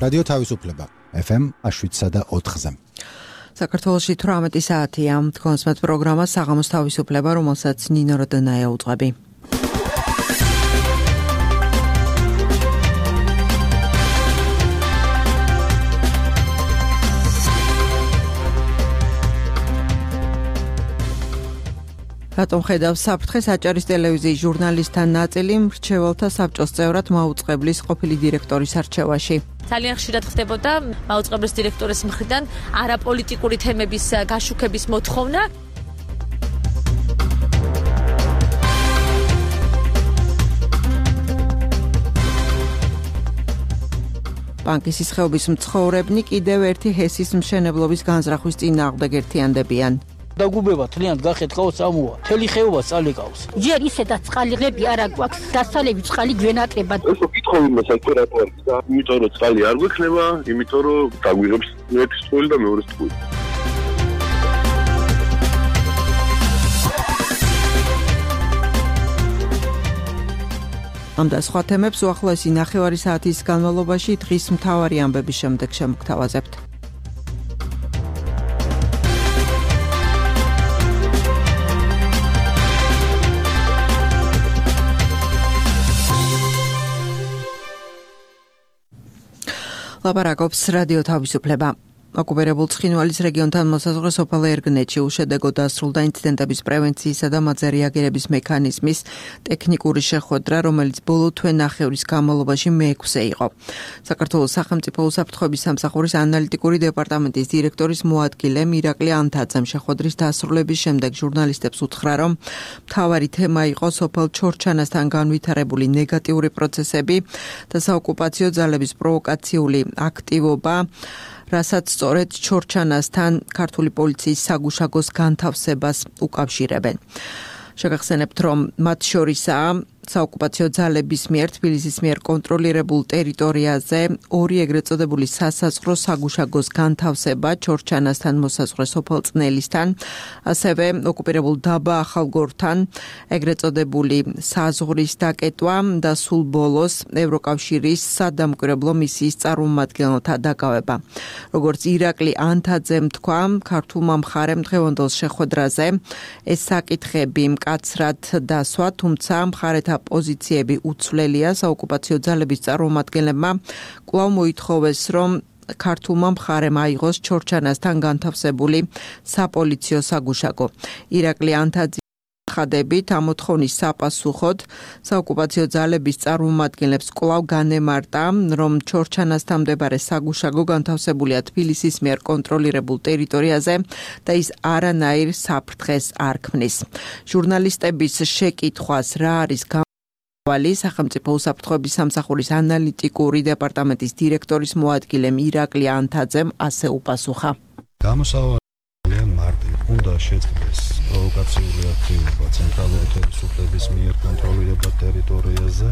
რადიო თავისუფლება FM 7.4-ზე. საქართველოში 18 საათია. თქვენს პროგრამა საღამოს თავისუფლება, რომელსაც ნინო როდონაია უძღვები. რატომ ხედავს საფრთხეს აჭარის ტელევიზიის ჟურნალისტთან ნაწილი მრჩეველთა საბჭოს წევრად მაუწყებლის ყოფილი დირექტორის არჩევაში. ძალიან ხშირად ხდებოდა მაუწყებლის დირექტორის მხრიდან არაპოლიტიკური თემების გაშუქების მოთხოვნა. ბანკის სისხეობის მცხოვრებნი კიდევ ერთი ჰესის მშენებლობის განზრახვის წინააღმდეგ ერთიანდებიან. დაგუბება თლიანად გახეთქაო სამოა. თელი ხეობა წალეკავს. ჯერ ისედაც წყალიღები არ აგვაქვს. დასალები წყალი გვენაკრება. ეს კითხავი მოსაკეთე რატო არის და იმიტომ რომ წყალი არ გვექნება, იმიტომ რომ დაგვიღებს ერთის თვალი და მეორეს თვალი. ამ და სხვა თემებს უახლოესი ნახევარი საათის განმავლობაში დღის მთავარი ამბების შემდეგ შემოგთავაზებთ. ლაპარაკობს რადიო თავისუფლება. ოკუპირებულ ცხინვალის რეგიონთან მოსაზღვრე სოფელ ერგნეთში უშედეგო დასრულდა ინციდენტების პრევენციისა და მათზე რეაგირების მექანიზმის ტექნიკური შეხვედრა, რომელიც ბოლო თვე-ნახევრის განმავლობაში მე-6 იყო. საქართველოს სახელმწიფო უსაფრთხოების სამსახურის ანალიტიკური დეპარტამენტის დირექტორის მოადგილე ირაკლი ანთაძემ შეხვედრის დასრულების შემდეგ ჟურნალისტებს უთხრა, რომ მთავარი თემა იყო სოფელ ჩორჩანასთან განვითარებული ნეგატიური პროცესები და საოკუპაციო ძალების პროვოკაციული აქტივობა, რასაც სწორედ ჩორჩანასთან ქართული პოლიციის საგუშაგოს განთავსებას უკავშირებენ. შეგახსენებთ, რომ მათ შორისაა საოკუპაციო ძალების მიერ თბილისის მიერ კონტროლირებულ ტერიტორიაზე ორი ეგრეთ წოდებული სასაზღვრო საგუშაგოს განთავსება ჩორჩანასთან მოსაზღვრე სოფელ წნელისთან, ასევე ოკუპირებულ დაბა ახალგორთან ეგრეთ წოდებული საზღვრის დაკეტვა და სულ ბოლოს ევროკავშირის სადამკვირვებლო მისიის წარმომადგენელთა დაკავება. როგორც ირაკლი ანთაძემ თქვა, ქართულმა მხარემ დღევანდელ შეხვედრაზე ეს საკითხები მკაცრად დასვა, თუმცა მხარეთა პოზიციები უცვლელია. საოკუპაციო ძალების წარმომადგენლებმა კვლავ მოითხოვეს, რომ ქართულმა მხარემ აიღოს ჩორჩანასთან განთავსებული საპოლიციო საგუშაგო. ირაკლი ანთაძე ხადებით ამ მოთხოვნის საპასუხოდ საოკუპაციო ძალების წარმომადგენლებს კვლავ განემარტა, რომ ჩორჩანასთან მდებარე საგუშაგო განთავსებულია თბილისის მიერ კონტროლირებულ ტერიტორიაზე და ის არანაირ საფრთხეს არ ქმნის. ჟურნალისტების შეკითხვას რა არის სახელმწიფო უსაფრთხოების სამსახურის ანალიტიკური დეპარტამენტის დირექტორის მოადგილემ ირაკლი ანთაძემ ასე უპასუხა. გამოსავალია მარტივი, უნდა შეწყდეს პროვოკაციული აქტივობა ცენტრალური ხელისუფლების მიერ კონტროლირებულ ტერიტორიაზე.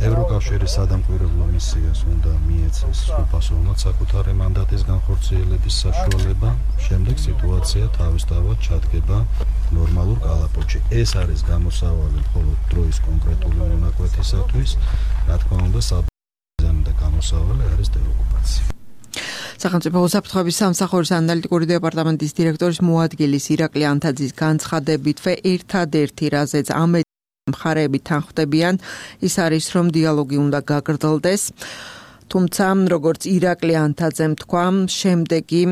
ევროკავშირის სადამკვირვებლო მისიას უნდა მიეცეს უპასუხოდ საკუთარი მანდატის განხორციელების საშუალება. შემდეგ სიტუაცია თავისთავად ჩადგება ნორმალურ კალაპოტში. ეს არის გამოსავალი მხოლოდ დროის კონკრეტული მონაკვეთისათვის. რა თქმა უნდა, საბრძოლო და გამოსავალი არის დეოკუპაცია. სახელმწიფო უსაფრთხოების სამსახურის ანალიტიკური დეპარტამენტის დირექტორის მოადგილის ირაკლი ანთაძის განცხადებით, ერთადერთი რაზეც ამ მხარეები თანხმდებიან, ის არის, რომ დიალოგი უნდა გაგრძელდეს. თუმცა, როგორც ირაკლი ანთაძემ თქვა, შემდეგი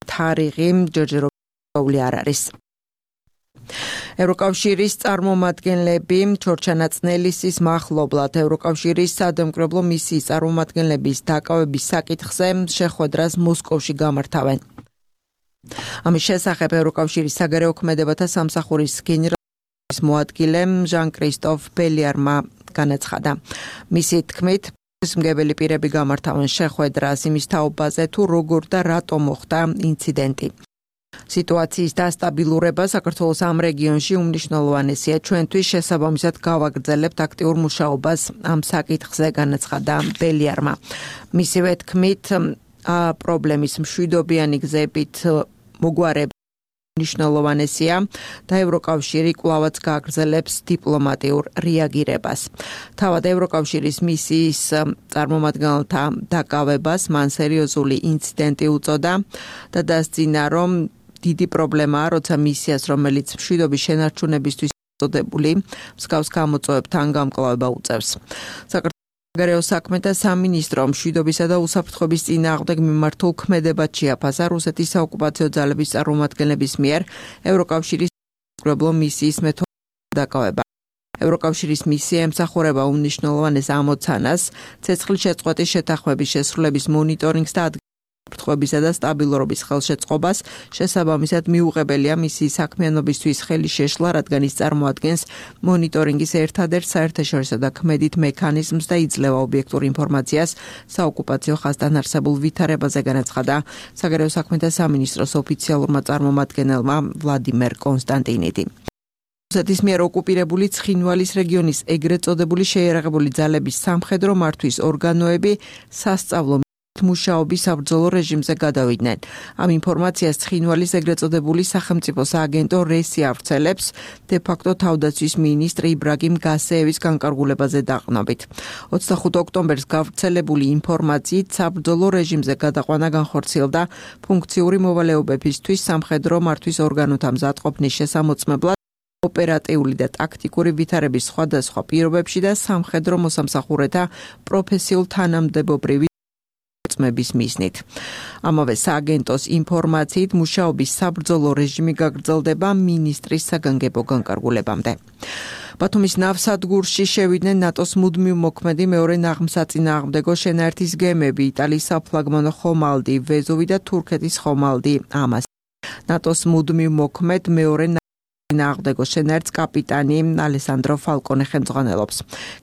თარიღი ჯერჯერობით არ არის. ევროკავშირის წარმომადგენლები ჩორჩანაწნელისის მახლობლად ევროკავშირის სადამკვირვებლო მისიის წარმომადგენლების დაკავების საკითხზე შეხვედრას მოსკოვში გამართავენ. ამის შესახებ ევროკავშირის საგარეო ქმედებათა სამსახურის გენერალის მოადგილემ ჟან-კრისტოფ ბელიარმა განაცხადა. მისი თქმით, მგებელი პირები გამართავენ შეხვედრას იმის თაობაზე, თუ როგორ და რატომ მოხდა ინციდენტი. სიტუაციის დასტაბილურება საქართველოს ამ რეგიონში უმნიშვნელოვანესია. ჩვენთვის შესაბამისად გავაგრძელებთ აქტიურ მუშაობას ამ საკითხზე, განაცხადა ბელიარმა. მისივე თქმით, პრობლემის მშვიდობიანი გზებით მოგვარებით მნიშვნელოვანესია და ევროკავშირი კვლავაც გააგრძელებს დიპლომატიურ რეაგირებას. თავად ევროკავშირის მისიის წარმომადგენელთა დაკავებას მან სერიოზული ინციდენტი უწოდა და დასძინა, რომ დიდი პრობლემაა, როცა მისიას, რომელიც მშვიდობის შენარჩუნებისთვის წოდებული, მსგავს გამოწვევებთან გამკლავება უწევს. საგარეო საქმეთა სამინისტრო მშვიდობისა და უსაფრთხოების წინააღმდეგ მიმართულ ქმედებად შეაფასა რუსეთის საოკუპაციო ძალების წარმომადგენლების მიერ ევროკავშირის საკრებულო მისიის მეთვალყურეობის დაკავება. ევროკავშირის მისია ემსახურება უმნიშვნელოვანეს ამოცანას, ცეცხლშეწყვეტის შეთანხმების შესრულების მონიტორინგს და უსაფრთხოებისა და სტაბილურობის ხელშეწყობას, შესაბამისად მიუღებელია მისიის საქმიანობისთვის ხელი შეშლა, რადგან ის წარმოადგენს მონიტორინგის ერთადერთ საერთაშორისო და ქმედით მექანიზმს და იძლევა ობიექტურ ინფორმაციას საოკუპაციო ხაზთან არსებულ ვითარებაზე, განაცხადა საგარეო საქმეთა სამინისტროს ოფიციალურმა წარმომადგენელმა ვლადიმერ კონსტანტინიდი. რუსეთის მიერ ოკუპირებული ცხინვალის რეგიონის ეგრეთ წოდებული შეიარაღებული ძალების სამხედრო მართვის ორგანოები სასწავლო მუშაობის საბრძოლო რეჟიმზე გადავიდნენ. ამ ინფორმაციას ცხინვალის ეგრეთ წოდებული სახელმწიფო სააგენტო რესი ავრცელებს დე-ფაქტო თავდაცვის მინისტრ იბრაგიმ გასეევის განკარგულებაზე დაყრდნობით. 25 ოქტომბერს გავრცელებული ინფორმაციით საბრძოლო რეჟიმზე გადაყვანა განხორციელდა ფუნქციური მოვალეობებისთვის სამხედრო მართვის ორგანოთა მზადყოფნის შესამოწმებლად ოპერატიული და ტაქტიკური ვითარების სხვადასხვა პირობებში და სამხედრო მოსამსახურეთა პროფესიულ თანამდებობრივი წმების მიზნით. ამავე სააგენტოს ინფორმაციით მუშაობის საბრძოლო რეჟიმი გაგრძელდება მინისტრის საგანგებო განკარგულებამდე. ბათუმის ნავსადგურში შევიდნენ ნატოს მუდმივ მოქმედი მეორე ნაღმსაწინააღმდეგო შენაერთის გემები, იტალიის საფლაგმანო ხომალდი, ვეზოვი და თურქეთის ხომალდი ამას. ნატოს მუდმივ მოქმედ მეორე ნაღმსაწინააღმდეგო შენაერთს კაპიტანი ალესანდრო ფალკონე ხელმძღვანელობს.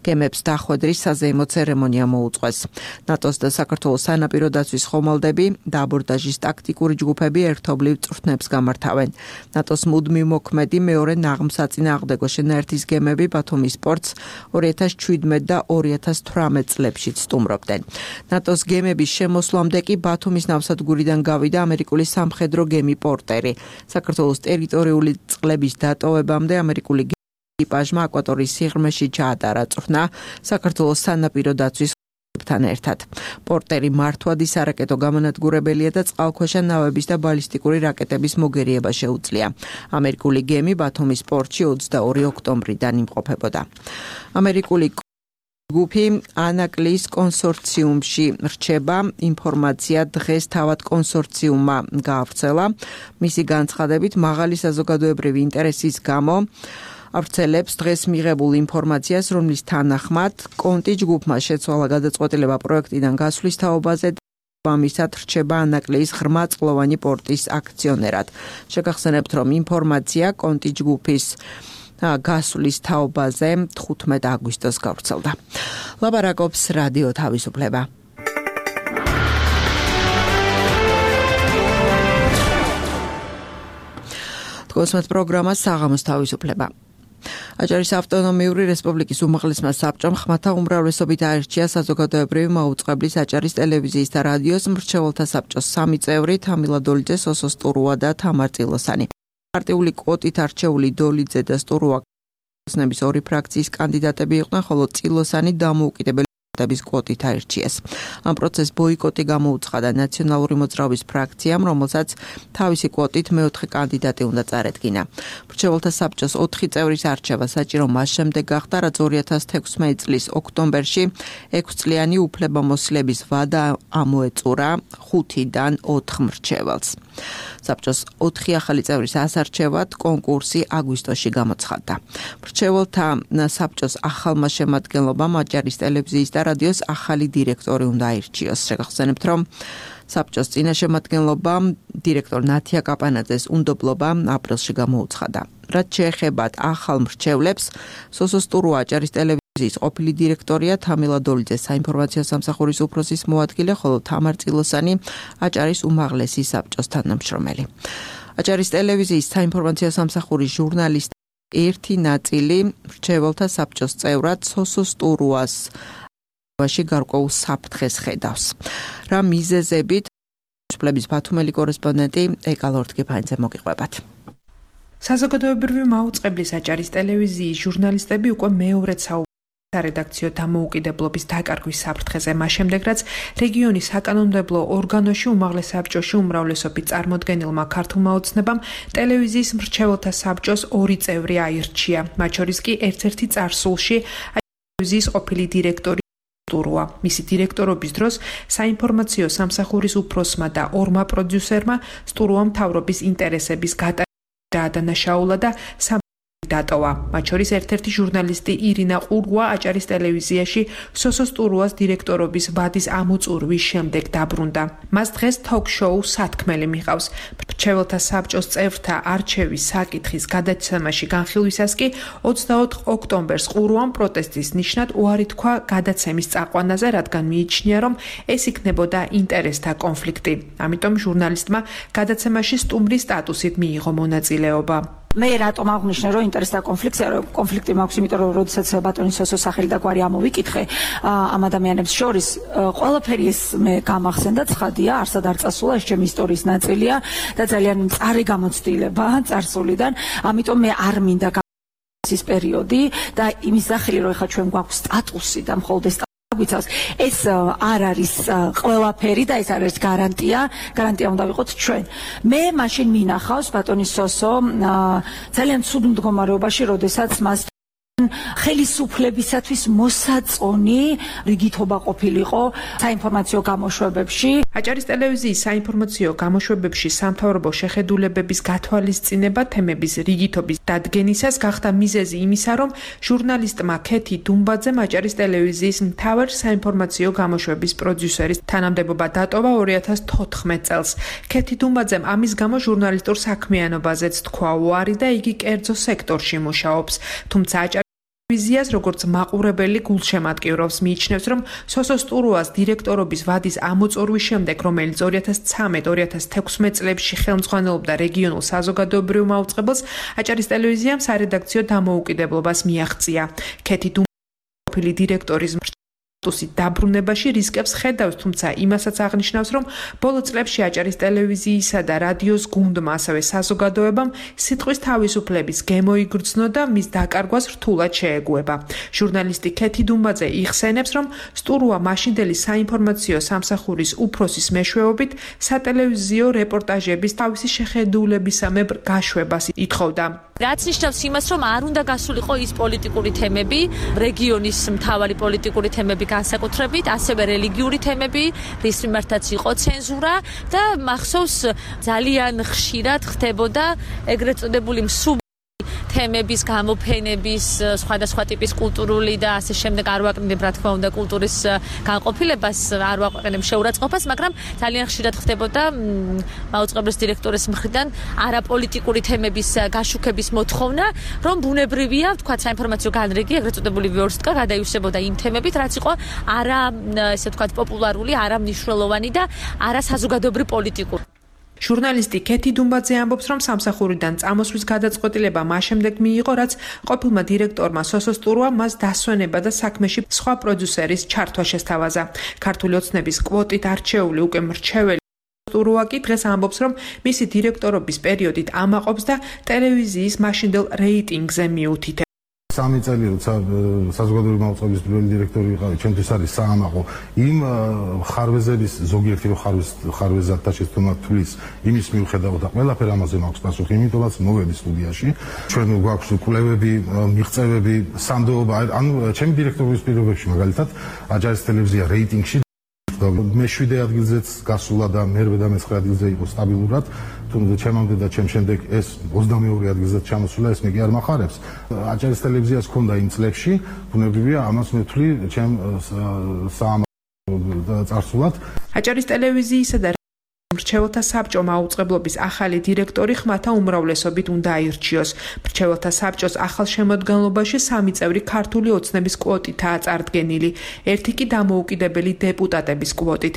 გემებს დახვედრის საზეიმო ცერემონია მოუწყვეს. ნატოს და საქართველოს სანაპირო დაცვის ხომალდები და აბორდაჟის ტაქტიკური ჯგუფები ერთობლივ წვრთნებს გამართავენ. ნატოს მუდმივ მოქმედი მეორე ნაღმსაწინააღმდეგო შენაერთის გემები ბათუმის პორტს 2017 და 2018 წლებში სტუმრობდნენ. ნატოს გემების შემოსვლამდე კი ბათუმის ნავსადგურიდან გავიდა ამერიკული სამხედრო გემი პორტერი. საქართველოს ტერიტორიული წყლების დატოვებამდე ამერიკული ეკიპაჟმა აკვატორიის სიღრმეში ჩაატარა წვრთნა საქართველოს სანაპირო დაცვის თან ერთად. პორტერი მართვადი სარაკეტო გამონადგურებელია და წყალქვეშა ნავების და ბალისტიკური რაკეტების მოგერიება შეუძლია. ამერიკული გემი ბათუმის პორტში 22 ოქტომბრიდან იმყოფებოდა. ამერიკული ჯგუფი ანაკლიის კონსორციუმში რჩება. ინფორმაცია დღეს თავად კონსორციუმმა გაავრცელა. მისი განცხადებით, მაღალი საზოგადოებრივი ინტერესის გამო ავრცელებს დღეს მიღებულ ინფორმაციას, რომლის თანახმად კონტი ჯგუფმა შეცვალა გადაწყვეტილება პროექტიდან გასვლის თაობაზე და ამისად რჩება ანაკლიის ღრმაწყლოვანი პორტის აქციონერად. შეგახსენებთ, რომ ინფორმაცია კონტი ჯგუფის გასვლის თაობაზე 15 აგვისტოს გავრცელდა. ლაპარაკობს რადიო თავისუფლება. თქვენს პროგრამას საღამოს თავისუფლება. აჭარის ავტონომიური რესპუბლიკის უმაღლესმა საბჭომ ხმათა უმრავლესობით აირჩია საზოგადოებრივი მაუწყებლის აჭარის ტელევიზიის და რადიოს მრჩეველთა საბჭოს 3 წევრი თამილა დოლიძე, სოსო სტურუა და თამარ წილოსანი. პარტიული კვოტით არჩეული დოლიძე და სტურუა ნების ორი ფრაქციის კანდიდატები იყვნენ, ხოლო წილოსანი დამოუკიდებელი депутатების კვოტით აირჩიეს. ამ პროცესს ბოიკოტი გამოუცხადა ნაციონალური მოძრაობის ფრაქციამ, რომელსაც თავისი კვოტით მეოთხე კანდიდატი უნდა წარედგინა. მრჩეველთა საბჭოს 4 წევრის არჩევა საჭირო მას შემდეგ გახდა, რაც 2016 წლის ოქტომბერში 6 წლიანი უფლებამოსილების ვადა ამოეწურა 5-დან 4 მრჩეველს. საბჭოს 4 ახალი წევრის ასარჩევად კონკურსი აგვისტოში გამოცხადდა. მრჩეველთა საბჭოს ახალმა შემადგენლობამ აჭარის ტელევიზიის და რადიოს ახალი დირექტორი უნდა აირჩიოს. შეგახსენებთ, რომ საბჭოს წინა შემადგენლობამ დირექტორ ნათია კაპანაძეს უნდობლობა აპრილში გამოუცხადა. რაც შეეხებათ ახალ მრჩევლებს, სოსო სტურუა აჭარის ტელევიზიის ყოფილი დირექტორია, თამილა დოლიძე საინფორმაციო სამსახურის უფროსის მოადგილე, ხოლო თამარ წილოსანი აჭარის უმაღლესი საბჭოს თანამშრომელი. აჭარის ტელევიზიის საინფორმაციო სამსახურის ჟურნალისტ ერთი ნაწილი მრჩეველთა საბჭოს წევრად სოსო სტურუას გარკვეულ საფრთხეს ხედავს. რა მიზეზებით? სპლების ბათუმელი კორესპონდენტი ეკალორთკიფანიძე მოგიყვებათ. საზოგადოებრივი მაუწყებლის აჭარის ტელევიზიის ჟურნალისტები უკვე მეორედ სარედაქციო დამოუკიდებლობის დაკარგვის საფრთხეზე მას შემდეგ, რაც რეგიონის საკანონმდებლო ორგანოში უმაღლეს საბჭოში უმრავლესობით წარმოდგენილმა ქართულმა ოცნებამ ტელევიზიის მრჩეველთა საბჭოს 2 წევრი აირჩია, მათ შორის კი ერთ-ერთი წარსულში ტელევიზიის ყოფილი დირექტორი სტურუა. მისი დირექტორობის დროს საინფორმაციო სამსახურის უფროსმა და 2 პროდიუსერმა სტურუამ მთავრობის ინტერესების გატარება დაადანაშაულა და დატოვა. მათ შორის ერთ-ერთი ჟურნალისტი ირინა ყურღვა აჭარის ტელევიზიაში სოსო სტურუას დირექტორობის ვადის ამოწურვის შემდეგ დაბრუნდა. მას დღეს თოქ-შოუ სათქმელი მიჰყავს. მრჩეველთა საბჭოს წევრთა არჩევის საკითხის გადაცემაში განხილვისას კი 24 ოქტომბერს ყურღვამ პროტესტის ნიშნად უარი თქვა გადაცემის წაყვანაზე, რადგან მიიჩნია, რომ ეს იქნებოდა ინტერესთა კონფლიქტი. ამიტომ ჟურნალისტმა გადაცემაში სტუმრის სტატუსით მიიღო მონაწილეობა. მე რატომ აღნიშნე, რომ ინტერესთა კონფლიქტი მაქვს, იმიტომ რომ როდესაც ბატონის სოსოს სახელი და გვარი ამოვიკითხე ამ ადამიანებს შორის, ყველაფერი ეს მე გამახსენდა, ცხადია, არსად არ წასულა, ეს ჩემი ისტორიის ნაწილია და ძალიან მწარე გამოცდილება წარსულიდან, ამიტომ მე არ მინდა ის პერიოდი და იმის სახელი, რომ ეხლა ჩვენ გვაქვს სტატუსი და მხოლოდ ეს არ არის ყველაფერი და ეს არ არის გარანტია უნდა ვიყოთ ჩვენ. მე მაშინ მინახავს ბატონის სოსო ძალიან ცუდ მდგომარეობაში, როდესაც მას ხელისუფლებისათვის მოსაწონი რიგითობა ყოფილიყო საინფორმაციო გამოშვებებში. აჭარის ტელევიზიის საინფორმაციო გამოშვებებში სამთავრობო შეხედულებების გათვალისწინება თემების რიგითობის დადგენისას გახდა მიზეზი იმისა, რომ ჟურნალისტმა ქეთი დუმბაძემ აჭარის ტელევიზიის მთავარ საინფორმაციო გამოშვების პროდიუსერის თანამდებობა დატოვა 2014 წელს. ქეთი დუმბაძემ ამის გამო ჟურნალისტურ საქმიანობაზეც თქვა უარი და იგი კერძო სექტორში მუშაობს. თუმცა ტელევიზიას როგორც მაყურებელი გულშემატკივრობს, მიიჩნევს, რომ სოსო სტურუას დირექტორობის ვადის ამოწურვის შემდეგ, რომელიც 2013-2016 წლებში ხელმძღვანელობდა რეგიონულ საზოგადოებრივ მაუწყებელს, აჭარის ტელევიზიამ სარედაქციო დამოუკიდებლობას მიაღწია. ქეთი დუმბაძე ყოფილი დირექტორის სტატუსით დაბრუნებაში რისკებს ხედავს, თუმცა იმასაც აღნიშნავს, რომ ბოლო წლებში აჭარის ტელევიზიისა და რადიოს გუნდმა, ასევე საზოგადოებამ სიტყვის თავისუფლების გემოიგრძნო და მის დაკარგვას რთულად შეეგუება. ჟურნალისტი ქეთი დუმბაძე იხსენებს, რომ სტურუა მაშინდელი საინფორმაციო სამსახურის უფროსის მეშვეობით სატელევიზიო რეპორტაჟების თავისი შეხედულებისამებრ გაშვებას ითხოვდა. რაც ნიშნავს იმას, რომ არ უნდა გასულიყო ის პოლიტიკური თემები, რეგიონის მთავარი პოლიტიკური თემები განსაკუთრებით, ასევე რელიგიური თემები, რის მიმართაც იყო ცენზურა და მახსოვს ძალიან ხშირად ხდებოდა ეგრეთ წოდებული თემების გამოფენების, სხვადასხვა ტიპის კულტურული და ასე შემდეგ არ ვაკრინებ, რა თქმა უნდა, კულტურის განყოფილებას, არ ვაყენებ შეურაცხყოფას, მაგრამ ძალიან ხშირად ხდებოდა მაუწყებლის დირექტორის მხრიდან არაპოლიტიკური თემების გაშუქების მოთხოვნა, რომ ბუნებრივია, თქვა საინფორმაციო განრიგი, ეგრეთ წოდებული ვიორსტკა გადაივსებოდა იმ თემებით, რაც იყო არა, ესე ვთქვათ, პოპულარული, არა მნიშვნელოვანი და არა საზოგადოებრივ პოლიტიკური. ჟურნალისტი ქეთი დუმბაძე ამბობს, რომ სამსახურიდან წამოსვლის გადაწყვეტილება მას შემდეგ მიიღო, რაც ყოფილმა დირექტორმა სოსო სტურუამ მას დასვენება და საქმეში სხვა პროდიუსერის ჩართვა შესთავაზა. ქართული ოცნების კვოტით არჩეული უკვე მრჩეველი სტურუა კი დღეს ამბობს, რომ მისი დირექტორობის პერიოდით ამაყობს და ტელევიზიის მაშინდელ რეიტინგზე მიუთითებს. 3 წელი როცა საზოგადოებრივი მაუწყებლის პირველი დირექტორი ვიყავი, ჩემთვის არის საამაყო იმ ხარვეზების ზოგიერთი ხარვეზად და შეცდომა თulis იმის მიუხედავად და ყველაფერ ამაზე მაქვს პასუხი, იმიტომაც მოვედი სტუდიაში. ჩვენ გვაქვს კვლევები, მიღწევები, სანდოობა, ანუ ჩემი დირექტორობის პირობებში მაგალითად აჭარის ტელევიზია რეიტინგში მე-7 ადგილზეც გასულა და მე-8 და მე-9 ადგილზე იყო სტაბილურად. თუმცა ჩემამდე და ჩემ შემდეგ ეს 22 ადგილზეც ჩამოსულა, ეს მე კი არ მახარებს. აჭარის ტელევიზიას ჰქონდა იმ წლებში, ბუნებრივია, ამას მე ვთვლი ჩემ წარსულად. აჭარის ტელევიზიისა და მრჩეველთა საბჭო მაუწყებლობის ახალი დირექტორი ხმათა უმრავლესობით უნდა აირჩიოს. მრჩეველთა საბჭოს ახალ შემოდგენლობაში 3 წევრი ქართული ოცნების კვოტითაა წარდგენილი, ერთი კი დამოუკიდებელი დეპუტატების კვოტით.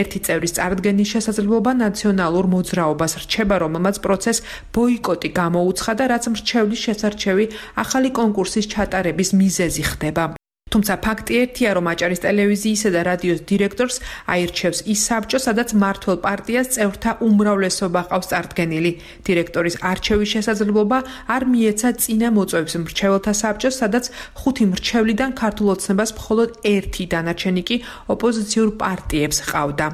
ერთი წევრის წარდგენის შესაძლებლობა ნაციონალურ მოძრაობას რჩება, რომელმაც პროცესს ბოიკოტი გამოუცხადა, რაც მრჩევლის შესარჩევი ახალი კონკურსის ჩატარების მიზეზი ხდება. თუმცა ფაქტი ერთია, რომ აჭარის ტელევიზიისა და რადიოს დირექტორს აირჩევს ის საბჭო, სადაც მმართველ პარტიას წევრთა უმრავლესობა ყავს წარდგენილი. დირექტორის არჩევის შესაძლებლობა არ მიეცა წინა მოწვევებს მრჩეველთა საბჭოს, სადაც 5 მრჩევლიდან ქართულ ოცნებას მხოლოდ 1 დანარჩენი კი ოპოზიციურ პარტიებს ყავდა.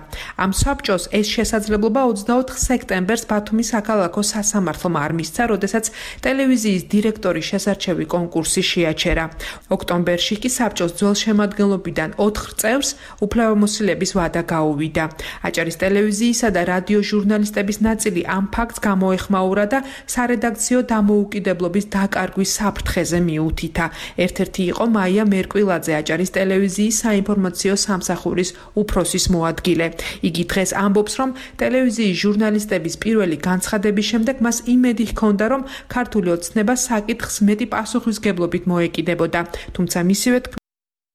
ამ საბჭოს ეს შესაძლებლობა 24 სექტემბერს ბათუმის საქალაქო სასამართლომ არ მისცა, როდესაც ტელევიზიის დირექტორის შესარჩევი კონკურსი შეაჩერა. ოქტომბერში კი საბჭოს ძველ შემადგენლობიდან 4 წევრს უფლებამოსილების ვადა გაუვიდა. აჭარის ტელევიზიისა და რადიო ჟურნალისტების ნაწილი ამ ფაქტს გამოეხმაურა და სარედაქციო დამოუკიდებლობის დაკარგვის საფრთხეზე მიუთითა. ერთ-ერთი იყო მაია მერკვილაძე, აჭარის ტელევიზიის საინფორმაციო სამსახურის უფროსის მოადგილე. იგი დღეს ამბობს, რომ ტელევიზიის ჟურნალისტების პირველი განცხადების შემდეგ მას იმედი ჰქონდა, რომ ქართული ოცნება საკითხს მეტი პასუხისგებლობით მოეკიდებოდა. თუმცა მისივე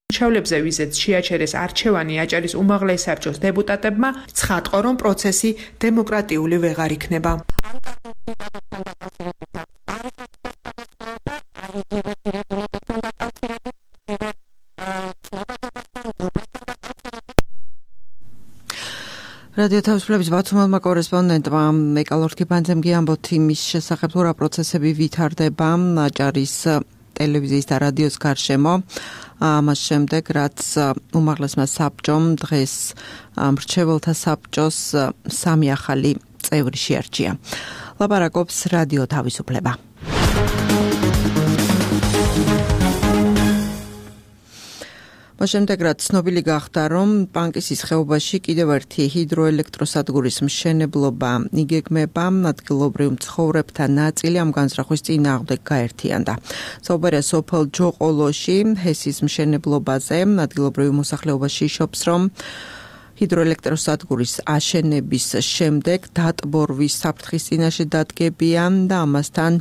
მრჩევლებზე, ვიზეც შეაჩერეს არჩევანი აჭარის უმაღლეს საბჭოს დეპუტატებმა, ცხადყო, რომ პროცესი დემოკრატიული ვეღარ იქნება. რადიო თავისუფლების ბათუმელმა კორესპონდენტმა მეკალორთქიბანძემ ამბოთ იმის შესახებ, თუ რა პროცესები ვითარდება აჭარის ტელევიზიის და რადიოს გარშემო. ამას შემდეგ, რაც უმაღლესმა საბჭომ დღეს მრჩეველთა საბჭოს 3 ახალი წევრი შეარჩია. ლაპარაკობს რადიო თავისუფლება. შემდეგ რაც ცნობილი გახდა, რომ პანკისის ხეობაში კიდევ ერთი ჰიდროელექტროსადგურის მშენებლობა იგეგმება, ადგილობრივ მცხოვრებთა ნაწილი ამ განზრახვის წინააღმდეგ გაერთიანდა. საუბარია სოფელ ჯოყოლოში ჰესის მშენებლობაზე, ადგილობრივი მოსახლეობა შიშობს, რომ ჰიდროელექტროსადგურის აშენების შემდეგ დატბორვის საფრთხის წინაშე დადგებიან და ამასთან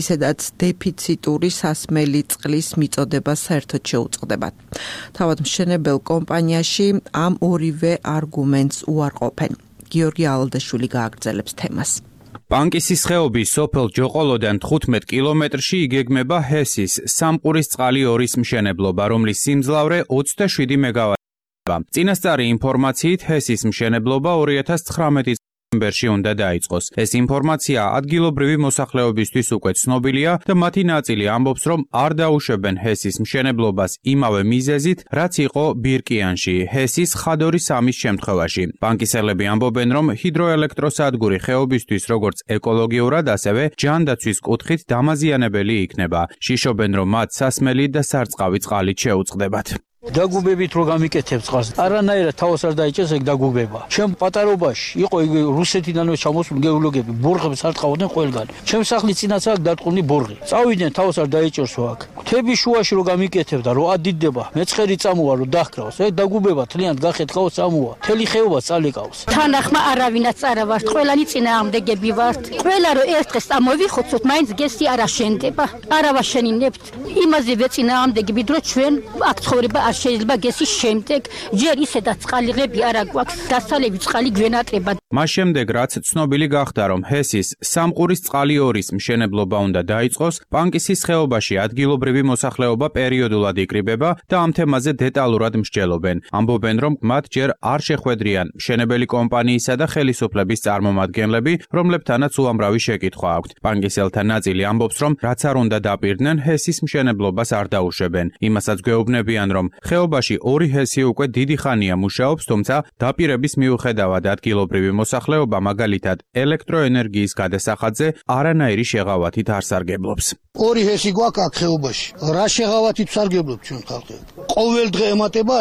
ისედაც დეფიციტური სასმელი წყლის მიწოდება საერთოდ შეუწყდებათ. თავად მშენებელ კომპანიაში ამ ორივე არგუმენტს უარყოფენ. გიორგი ალდაშვილი გააგრძელებს თემას. პანკისის ხეობის სოფელ ჯოყოლოდან 15 კილომეტრში იგეგმება ჰესის სამყურის წყალი 2-ის მშენებლობა, რომლის სიმძლავრე 27 მეგავატია. წინასწარი ინფორმაციით ჰესის მშენებლობა 2019 დეკემბერში უნდა დაიწყოს. ეს ინფორმაცია ადგილობრივი მოსახლეობისთვის უკვე ცნობილია და მათი ნაწილი ამბობს, რომ არ დაუშვებენ ჰესის მშენებლობას იმავე მიზეზით, რაც იყო ბირკიანში, ჰესის ხადორის 3-ის შემთხვევაში. პანკისელები ამბობენ, რომ ჰიდროელექტროსადგური ხეობისთვის როგორც ეკოლოგიურად, ასევე ჯანდაცვის კუთხით დამაზიანებელი იქნება. შიშობენ, რომ მათ სასმელი და სარწყავი წყალით შეუწყდებათ. დაგუბებით რო გამიკეთებ წყალს, არანაირად თავს არ დაიჭერს ეგ დაგუბება. ჩემ პატარობაში იყო ეგ რუსეთიდანვე ჩამოსული გეოლოგები, ბორღებს არ ტყავდნენ ყველგან. ჩემ სახლის წინაც აქ დატყუნი ბორღი. წავიდნენ თავს არ დაიჭერს აქ. თების შუაში რო გამიკეთებ და რო ადიდება, მეწყერი წამოვა რო დაჰკრავს, ეგ დაგუბება თლიანად გახეთქავს წამოვა. თელი ხეობა წალეკავს. თანახმა არავინაც არა ვართ, ყველანი წინააღმდეგები ვართ. ყველა რო ერთ დღეს ამოვიხოცოთ, მაინც გესი არ აშენდება. არა ვაშენინებთ. იმაზე ვეწინააღმდეგები, რომ ჩვენ აქ ცხოვრება შეიძლება გესის შემდეგ ჯერ ისედაც წყალიღები არა გვაქვს, დასალევი წყალი გვენატრება. მას შემდეგ, რაც ცნობილი გახდა, რომ ჰესის სამყურის წყალი 2-ის მშენებლობა უნდა დაიწყოს, პანკისის ხეობაში ადგილობრივი მოსახლეობა პერიოდულად იკრიბება და ამ თემაზე დეტალურად მსჯელობენ. ამბობენ, რომ მათ ჯერ არ შეხვედრიან მშენებელი კომპანიისა და ხელისუფლების წარმომადგენლები, რომლებთანაც უამრავი შეკითხვა აქვთ. პანკისელთა ნაწილი ამბობს, რომ რაც არ უნდა დაპირდნენ, ჰესის მშენებლობას არ დაუშვებენ. იმასაც გვეუბნებიან, რომ ხეობაში 2 ჰესი უკვე დიდი ხანია მუშაობს, თუმცა დაპირების მიუხედავად ადგილობრივი მოსახლეობა მაგალითად ელექტროენერგიის გადასახადზე არანაირი შეღავათით არ სარგებლობს. 2 ჰესი გვაქვს აქ ხეობაში. რა შეღავათით სარგებლობთ ჩვენ ხალხი? ყოველ დღე ემატება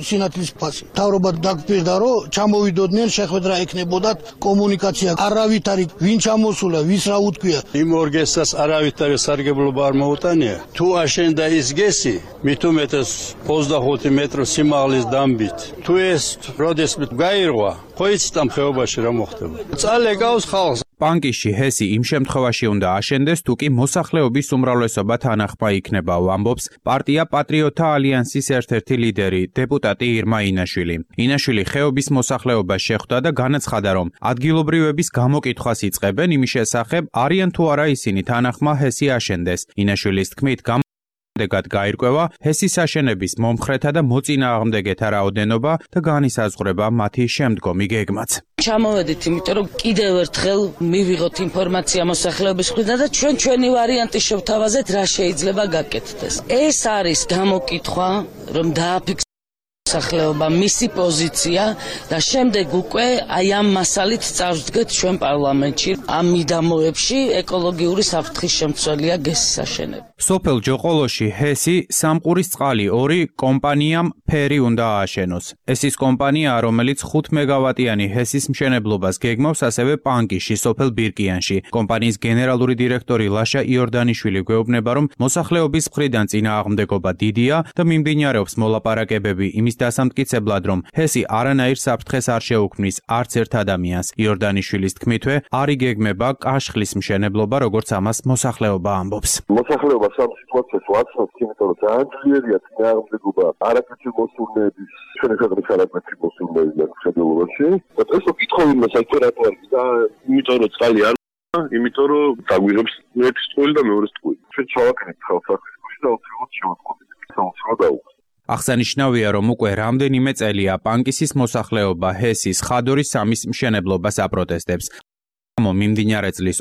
სინათლის ფასი. მთავრობა დაგფირდა, რომ ჩამოვიდოდნენ, შეხვედრა ექნებოდათ, კომუნიკაცია არავით არის, ვინ ჩამოსულა, ვის რა უთქვია. იმ ორგესტას არავით არის სარგებლობა არ მოუტანია. თუ აშენდა ის გესი, მით უმეტეს 25 მეტრო სიმაღლის დამბით. თუ ეს როდესმე გაირღვა, ხო იცით ამ ხეობაში რა მოხდება. წალეკავს ხალხს. პანკისში ჰესი იმ შემთხვევაში უნდა აშენდეს, თუ კი მოსახლეობის უმრავლესობა თანახმა იქნება, ამბობს პარტია პატრიოტთა ალიანსის ერთ-ერთი ლიდერი, დეპუტატი ირმა ინაშვილი. ინაშვილი ხეობის მოსახლეობას შეხვდა და განაცხადა, რომ ადგილობრივების გამოკითხვას იწყებენ იმის შესახებ, არიან თუ არა ისინი თანახმა ჰესი აშენდეს. ინაშვილის თქმით, დეგად გაირკვევა ჰესის აშენების მომხრეთა და მოწინააღმდეგეთა რაოდენობა და განისაზღვრება მათი შემდგომი გეგმაც. ჩამოვედით, იმიტომ რომ კიდევ ერთხელ მივიღოთ ინფორმაცია მოსახლეობის მხრიდან და ჩვენი ვარიანტი შევთავაზეთ, რა შეიძლება გაკეთდეს. ეს არის გამოკითხვა, რომ დააფიქსიროს მოსახლეობა მისი პოზიცია და შემდეგ უკვე აი ამ მასალით წავსდგეთ ჩვენ პარლამენტში. ამ მიდამოებში ეკოლოგიური საფრთხის შემცველია გესის აშენება. სოფელ ჯოყოლოში ჰესი სამყურის წყალი 2 კომპანიამ ფერი უნდა ააშენოს. ეს ის კომპანია, რომელიც 5 მეგავატიანი ჰესის მშენებლობას გეგმავს ასევე პანკიში, სოფელ ბირკიანში. კომპანიის გენერალური დირექტორი ლაშა იორდანიშვილი გვეუბნება, რომ მოსახლეობის მხრიდან წინააღმდეგობა დიდია და მიმდინარეობს მოლაპარაკებები იმის დასამტკიცებლად, რომ ჰესი არანაირ საფრთხეს არ შეუქმნის არც ერთ ადამიანს. იორდანიშვილის თქმითვე, არ იგეგმება კაშხლის მშენებლობა, როგორც ამას მოსახლეობა ამბობს. მოსახლეობა სამ სიტუაციას ვაცნობს, იმიტომ რომ ძალიან ძლიერია წინააღმდეგობა არაკეთილ მოსურნეების, ჩვენი ქვეყნის არაკეთილ მოსურნეების მშენებლობაში. და ეს კითხვები საერთოდ რატო არის და იმიტომ რომ წყალი არ იმიტომ რომ დაგვიღებს ერთის ტყუილი და მეორეს ტყუილი. ჩვენ ჩავაკეთეთ ხალხს და უცებ შევაწყობთ. საოცრად აღსანიშნავია, რომ უკვე რამდენიმე წელია პანკისის მოსახლეობა ჰესის ხადორის 3-ის მშენებლობას აპროტესტებს. მიმდინარე წლის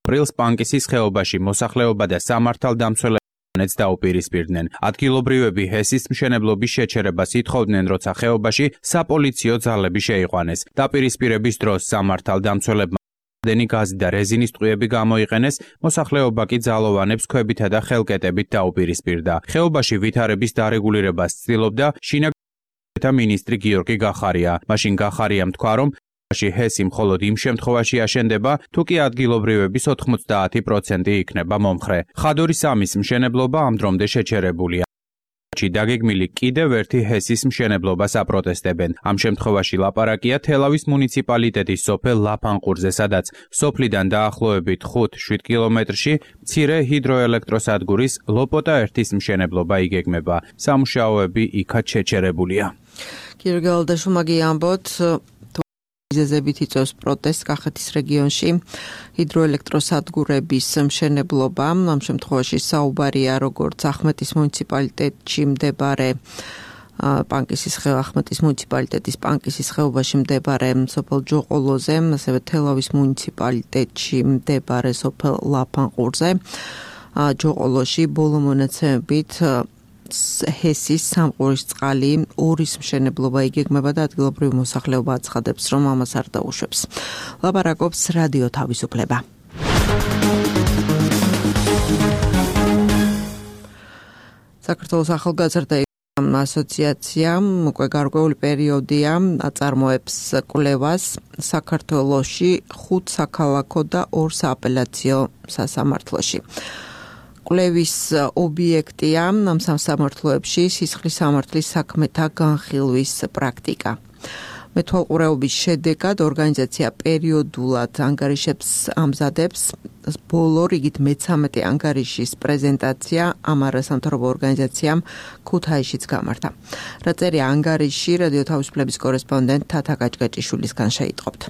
აპრილს პანკისის ხეობაში მოსახლეობა და სამართალდამცველებიც დაუპირისპირდნენ. ადგილობრივები ჰესის მშენებლობის შეჩერებას ითხოვდნენ, როცა ხეობაში საპოლიციო ძალები შეიყვანეს. დაპირისპირების დროს სამართალდამცველებმა დენი გაზი და რეზინის ტყუები გამოიყენეს, მოსახლეობა კი ძალოვანებს ქვებითა და ხელკეტებით დაუპირისპირდა. ხეობაში ვითარების დარეგულირებას ცდილობდა შინაგანთა მინისტრი გიორგი გახარია. მაშინ გახარიამ თქვა, რომ ჰესი მხოლოდ იმ შემთხვევაში აშენდება, თუ კი ადგილობრივების 90% იქნება მომხრე. ხადორის 3-ის მშენებლობა ამ დრომდე შეჩერებულია. დაგეგმილი კიდევ ერთი ჰესის მშენებლობას აპროტესტებენ. ამ შემთხვევაში ლაპარაკია თელავის მუნიციპალიტეტის სოფელ ლაფანყურზე, სადაც სოფლიდან დაახლოებით 5-7 კილომეტრში მცირე ჰიდროელექტროსადგურის ლოპოტა 1-ის მშენებლობა იგეგმება. სამუშაოები იქაც შეჩერებულია. Κύριε Γალდაშუმაგი ამბობთ, მიზეზებით იწვევს პროტესტს კახეთის რეგიონში ჰიდროელექტროსადგურების მშენებლობა. ამ შემთხვევაში საუბარია როგორც ახმეტის მუნიციპალიტეტში მდებარე პანკისის ახმეტის მუნიციპალიტეტის პანკისის ხეობაში მდებარე სოფელ ჯოყოლოზე, ასევე თელავის მუნიციპალიტეტში მდებარე სოფელ ლაფანყურზე. ჯოყოლოში ბოლო მონაცემებით ჰესის სამყურის წყალი 2-ის მშენებლობა იგეგმება და ადგილობრივი მოსახლეობა აცხადებს, რომ ამას არ დაუშვებს. ლაპარაკობს რადიო თავისუფლება. საქართველოს ახალგაზრდა ასოციაციამ უკვე გარკვეული პერიოდია აწარმოებს კვლევას საქართველოში 5 საქალაქო და 2 სააპელაციო სასამართლოში. კვლევის ობიექტია ამ სასამართლოებში სისხლის სამართლის საქმეთა განხილვის პრაქტიკა. მეთვალყურეობის შედეგად ორგანიზაცია პერიოდულად ანგარიშებს ამზადებს. ბოლო რიგით მე-13 ანგარიშის პრეზენტაცია ამ არასამთავრობო ორგანიზაციამ ქუთაისშიც გამართა. რა წერია ანგარიში რადიო თავისუფლების კორესპონდენტ თათა გაჭგაჭიშვილისგან შეიტყობთ.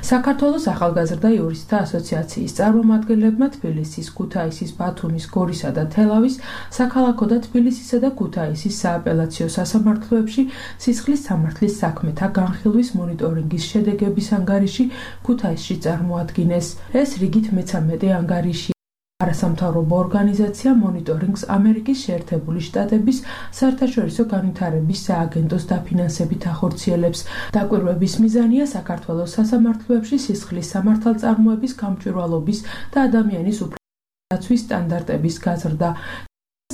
საქართველოს ახალგაზრდა იურისტთა ასოციაციის წარმომადგენლებმა თბილისის, ქუთაისის, ბათუმის, გორისა და თელავის საქალაქო და თბილისისა და ქუთაისის სააპელაციო სასამართლოებში სისხლის სამართლის საქმეთა განხილვის მონიტორინგის შედეგების ანგარიში ქუთაისში წარმოადგინეს. ეს რიგით მე-13 ანგარიში. არასამთავრობო ორგანიზაცია მონიტორინგს ამერიკის შეერთებული შტატების საერთაშორისო განვითარების სააგენტოს დაფინანსებით ახორციელებს. დაკვირვების მიზანია საქართველოს სასამართლოებში სისხლის სამართალწარმოების გამჭვირვალობის და ადამიანის უფლებების სტანდარტების გაზრდა.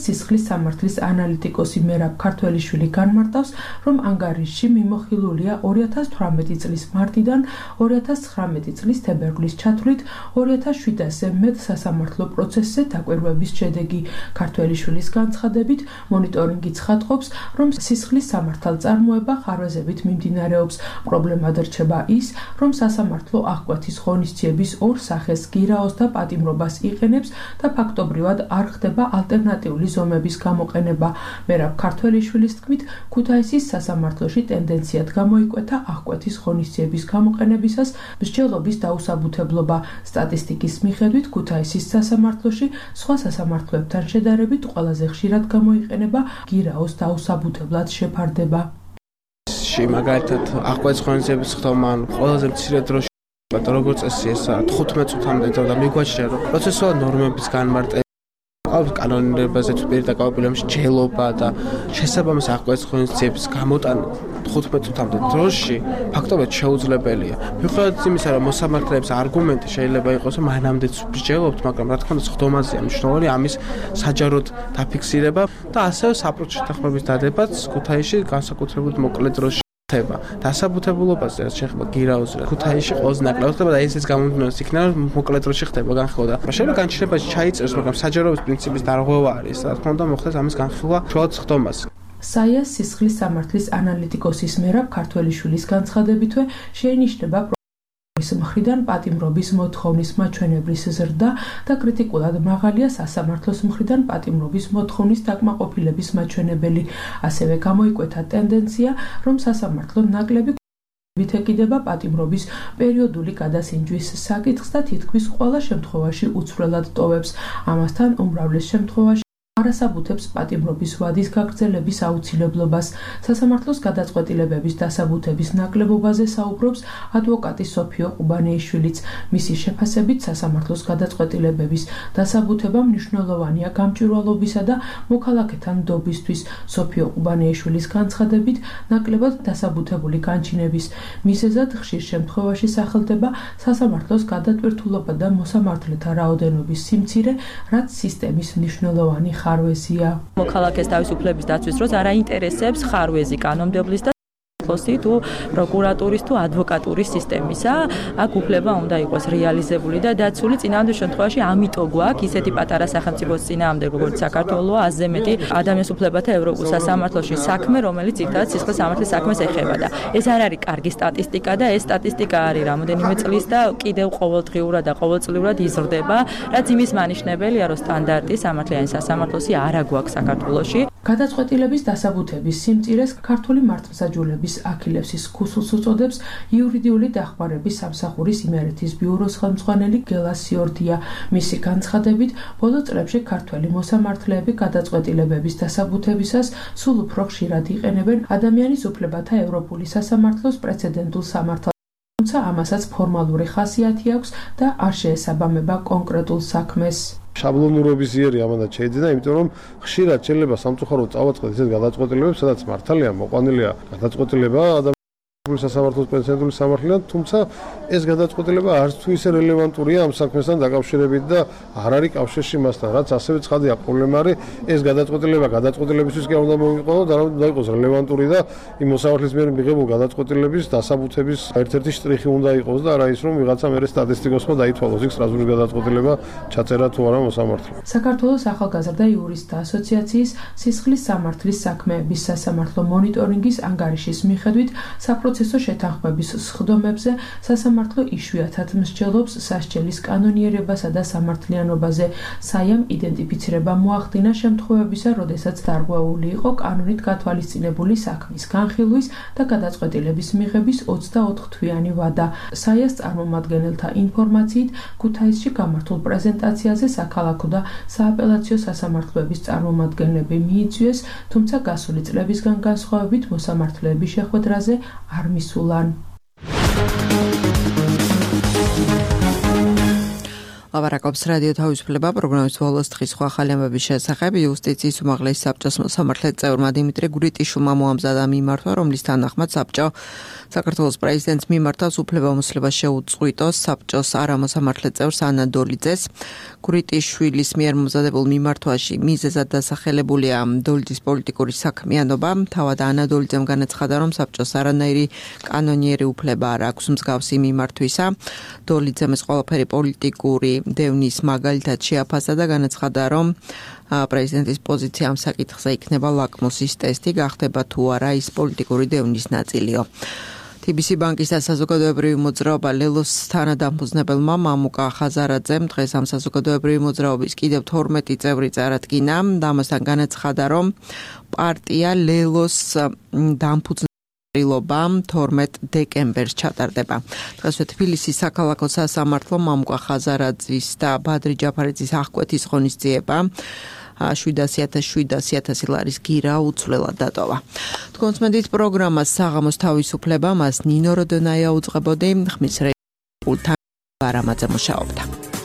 სისხლის სამართლის ანალიტიკოსი მერაბ ქართველიშვილი განმარტავს, რომ ანგარიშში მიმოხილულია 2018 წლის მარტიდან 2019 წლის თებერვლის ჩათვლით 2700-ზე მეტ სასამართლო პროცესზე დაკვირვების შედეგი. ქართველიშვილის განცხადებით, მონიტორინგი ცხადყოფს, რომ სისხლის სამართალწარმოება ხარვეზებით მიმდინარეობს. პრობლემად რჩება ის, რომ სასამართლო აღკვეთის ღონისძიების 2 სახეს გირაოს და პატიმრობას იყენებს და ფაქტობრივად არ ხდება ალტერნატიული სოციალური ზომების გამოყენება. მერაბ ქართველიშვილის თქმით, ქუთაისის სასამართლოში ტენდენციად გამოიკვეთა აღკვეთის ღონისძიების გამოყენებისას მსჯელობის დაუსაბუთებლობა. სტატისტიკის მიხედვით ქუთაისის სასამართლოში სხვა სასამართლოებთან შედარებით ყველაზე ხშირად გამოიყენება გირაოს დაუსაბუთებლად შეფარდება. მაგალითად აღკვეთის ღონისძიების ხდომა ყველაზე მცირე დროში როგორც წესი ეს 15 წუთამდე და მიგვაჩნია რომ პროცესუალურ ნორმების განმარტება კანონირებაზე თუ პირდაპირ მსჯელობა და შესაბამის აღკვეთის ღონისძიების გამოტანა 15 წუთამდე დროში ფაქტობრივად შეუძლებელია. მიუხედავად იმისა, რომ მოსამართლეების არგუმენტი შეიძლება იყოს, რომ მანამდე მსჯელობთ, მაგრამ რა თქმა უნდა ხდომაზეა მნიშვნელოვანი ამის საჯაროდ დაფიქსირება და ასევე საპროტ შეთანხმების დადებაც ქუთაისში განსაკუთრებით მოკლე დროში ხდება. დასაბუთებულობაზე რაც შეეხება გირაოს ქუთაისში ყველაზე ნაკლებად ხდება და ესეც გამომდინარეობს იქნება რომ მოკლე დროში ხდება განხილვა. შეიძლება განჩინებაში ჩაიწეროს, მაგრამ საჯაროების პრინციპის დარღვევა არის. რა თქმა უნდა მოხდეს ამის განხილვა შუალოდ ხდომას. საიას სისხლის სამართლის ანალიტიკოსის მერაბ ქართველიშვილის განცხადებითვე შეინიშნება მხრიდან პატიმრობის მოთხოვნის მაჩვენებლის ზრდა და კრიტიკულად მაღალია სასამართლოს მხრიდან პატიმრობის მოთხოვნის დაკმაყოფილების მაჩვენებელი. ასევე გამოიკვეთა ტენდენცია, რომ სასამართლო ნაკლები ეკიდება პატიმრობის პერიოდული გადასინჯვის საკითხს და თითქმის ყველა შემთხვევაში უცვლელად ტოვებს. ამასთან უმრავლეს შემთხვევაში არასაბუთებს პატიმრობის ვადის გაგრძელების აუცილებლობას. სასამართლოს გადაწყვეტილებების დასაბუთების ნაკლებობაზე საუბრობს ადვოკატი სოფიო ყუბანეიშვილიც. მისი შეფასებით სასამართლოს გადაწყვეტილებების დასაბუთება მნიშვნელოვანია გამჭვირვალობისა და მოქალაქეთა ნდობისთვის. სოფიო ყუბანეიშვილის განცხადებით ნაკლებად დასაბუთებული განჩინების მიზეზად ხშირ შემთხვევაში სახელდება სასამართლოს გადატვირთულობა და მოსამართლეთა რაოდენობის სიმცირე, რაც სისტემის მნიშვნელოვანი ხარვეზია. მოქალაქეს თავისუფლების დაცვის დროს არ აინტერესებს ხარვეზი კანონმდებლის და თუ პროკურატურის თუ ადვოკატურის სისტემისა. აქ უფლება უნდა იყოს რეალიზებული და დაცული წინააღმდეგ შემთხვევაში ამიტომ გვაქვს ისეთი პატარა სახელმწიფოს წინააღმდეგ როგორც საქართველოა, ასზე მეტი ადამიანის უფლებათა ევროპულ სასამართლოში საქმე, რომელიც ძირითადად სისხლის სამართლის საქმეს ეხება და ეს არ არის კარგი სტატისტიკა და ეს სტატისტიკა არის რამოდენიმე წლის და კიდევ ყოველდღიურად და ყოველწლიურად იზრდება, რაც იმის მანიშნებელია, რომ სტანდარტი სამართლიანი სასამართლოსი არ აგვაქვს საქართველოში. გადაწყვეტილების დასაბუთების სიმწირეს ქართული მართლმსაჯულების აქილევსის ქუსლს უწოდებს იურიდიული დახმარების სამსახურის იმერეთის ბიუროს ხელმძღვანელი გელა სიორდია. მისი განცხადებით, ბოლო წლებში ქართველი მოსამართლეები გადაწყვეტილებების დასაბუთებისას სულ უფრო ხშირად იყენებენ ადამიანის უფლებათა ევროპული სასამართლოს პრეცედენტულ სამართალს, თუმცა ამასაც ფორმალური ხასიათი აქვს და არ შეესაბამება კონკრეტულ საქმეს. შაბლონურობის იერი ამანაც შეიძლება, იმიტომ რომ ხშირად შეიძლება სამწუხაროდ წავაწყდეთ ისეთ გადაწყვეტილებებს, სადაც მართალია მოყვანილია გადაწყვეტილება სასამართლოს პრეცედენტული სამართლიდან, თუმცა ეს გადაწყვეტილება არც თუ ისე რელევანტურია ამ საქმესთან დაკავშირებით და არ არის კავშირში მასთან, რაც ასევე ცხადია პრობლემა არის, ეს გადაწყვეტილებისთვის კი არ უნდა მოვიყვანო და უნდა იყოს რელევანტური და იმ მოსამართლის მიერ მიღებულ გადაწყვეტილების დასაბუთების ერთ-ერთი შტრიხი უნდა იყოს და არა ის რომ ვიღაცა მერე სტატისტიკოსმა დაითვალოს იქ სტრასბურგის გადაწყვეტილება ჩაწერა თუ არა მოსამართლემ. საქართველოს ახალგაზრდა იურისტთა ასოციაციის სისხლის სამართლის საქმეების სასამართლო მონიტორინგის ანგარიშის მიხედვით საპროცესო შეთანხმების სხდომებზე სასამართლო იშვიათად მსჯელობს სასჯელის კანონიერებასა და სამართლიანობაზე. საიამ იდენტიფიცირება მოახდინა შემთხვევებისა, როდესაც დარღვეული იყო კანონით გათვალისწინებული საქმის განხილვის და გადაწყვეტილების მიღების 24 თვიანი ვადა. საიას წარმომადგენელთა ინფორმაციით, ქუთაისში გამართულ პრეზენტაციაზე საქალაქო და სააპელაციო სასამართლოების წარმომადგენლები მიიწვიეს, თუმცა გასული წლებისგან განსხვავებით მოსამართლეების შეხვედრაზე არ მისულან. ლაპარაკობს რადიო თავისუფლება პროგრამის ბოლოს დღის სხვა ახალი ამბების შესახებ. იუსტიციის უმაღლესი საბჭოს მოსამართლე წევრმა დიმიტრი გურიტიშვილმა მოამზადა მიმართვა, რომლის თანახმად საბჭო საქართველოს პრეზიდენტს მიმართავს უფლებამოსილებას შეუწყვიტოს საბჭოს არამოსამართლე წევრს ანა დოლიძეს. გურიტიშვილის მიერ მომზადებულ მიმართვაში მიზეზად დასახელებულია დოლიძის პოლიტიკური საქმიანობა. თავად ანა დოლიძემ განაცხადა, რომ საბჭოს არანაირი კანონიერი უფლება არ აქვს მსგავსი მიმართვისა. დოლიძემ ეს ყველაფერი პოლიტიკური დევნის მაგალითად შეაფასა და განაცხადა, რომ პრეზიდენტის პოზიცია ამ საკითხზე იქნება ლაკმუსის ტესტი, გახდება თუ არა ის პოლიტიკური დევნის ნაწილიო. TBC ბანკის და საზოგადოებრივი მოძრაობა ლელოს თანადამფუძნებელმა მამუკა ხაზარაძემ დღეს ამ საზოგადოებრივი მოძრაობის კიდევ 12 წევრი წარადგინა და ამასთან განაცხადა, რომ პარტია ლელოს დამფუძნებლობა 12 დეკემბერს ჩატარდება. დღესვე თბილისის საქალაქო სასამართლომ მამუკა ხაზარაძის და ბადრი ჯაფარიძის აღკვეთის ღონისძიება 700.000 ლარის გირა უცვლელად დატოვა. თქვენს მედიის პროგრამას საღამოს თავისუფლება მას ნინო როდონაია უძღვებოდი, ხმის რეჟისორ ვარამაძე მუშაობდა.